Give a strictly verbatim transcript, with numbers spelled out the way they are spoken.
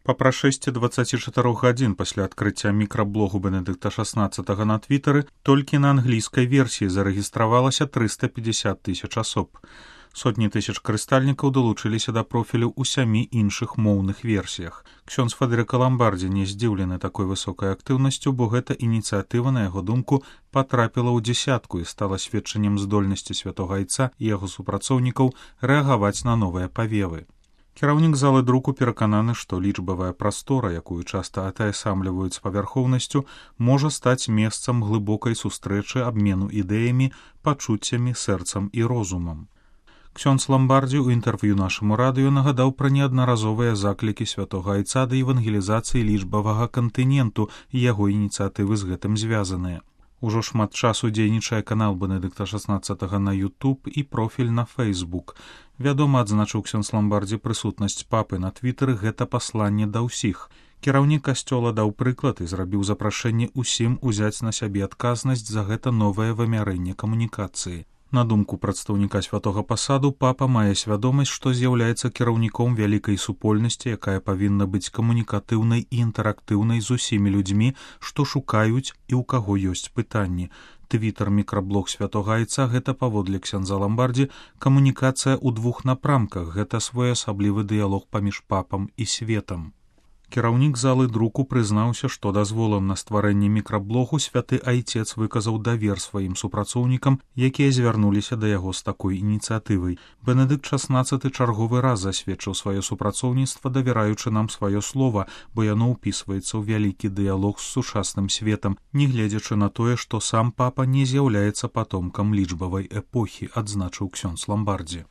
Па прашэсці дваццаці чатырох гадзін пасля адкрыцця мікраблогу Бенедыкта шаснаццатага на твітары толькі на англійскай версіі зарэгістравалася трыста пятьдесят тысяч асоб. Сотні тысяч карыстальнікаў далучыліся да профілю ў сямі іншых моўных версіях. Ксёндз Фадэрыка Ламбардзі не здзіўлены такой высокай актыўнасцю, бо гэта ініцыятыва, на яго думку, патрапіла ў дзясятку і стала сведчаннем здольнасці святога айца і яго супрацоўнікаў рэагаваць на новыя павевы. Кіраўнік залы друку перакананы, што лічбавая прастора, якую часта атаясамліваюць з павярхоўнасцю, можа стаць месцам глыбокай сустрэчы, абмену ідэямі, пачуццямі, сэрцам і розумам. Ксёндз Ламбардзі ў інтэрв'ю нашаму радыё нагадаў пра неаднаразовыя заклікі святога айца да евангелізацыі лічбавага кантыненту і яго ініцыятывы з гэтым звязаныя. Ужо шмат часу дзейнічае канал Бенедыкта шаснаццатага на YouTube і профіль на Facebook. Вядома, адзначыў ксёндз Ламбардзі, прысутнасць папы на твітары — гэта пасланне да ўсіх. Кіраўнік касцёла даў прыклад і зрабіў запрашэнне ўсім узяць на сябе адказнасць за гэта новае вымярэнне камунікацыі. На думку прадстаўніка святога пасаду, папа мае свядомасць, што з'яўляецца кіраўніком вялікай супольнасці, якая павінна быць камунікатыўнай і інтэрактыўнай з усімі людзьмі, што шукаюць і ў каго ёсць пытанні. Твітар-мікраблог святога айца — гэта, паводле ксяндза Ламбардзі, камунікацыя ў двух напрамках, гэта своеасаблівы дыялог паміж папам і светам. Кіраўнік залы друку прызнаўся, што дазволам на стварэнне мікраблогу святы айцец выказаў давер сваім супрацоўнікам, якія звярнуліся да яго з такой ініцыятывай. Бенедыкт шаснаццаты чарговы раз засведчыў сваё супрацоўніцтва, давяраючы нам сваё слова, бо яно ўпісваецца ў вялікі дыялог з сучасным светам, нягледзячы на тое, што сам папа не з'яўляецца патомкам лічбавай эпохі, адзначыў ксёндз Ламбардзі.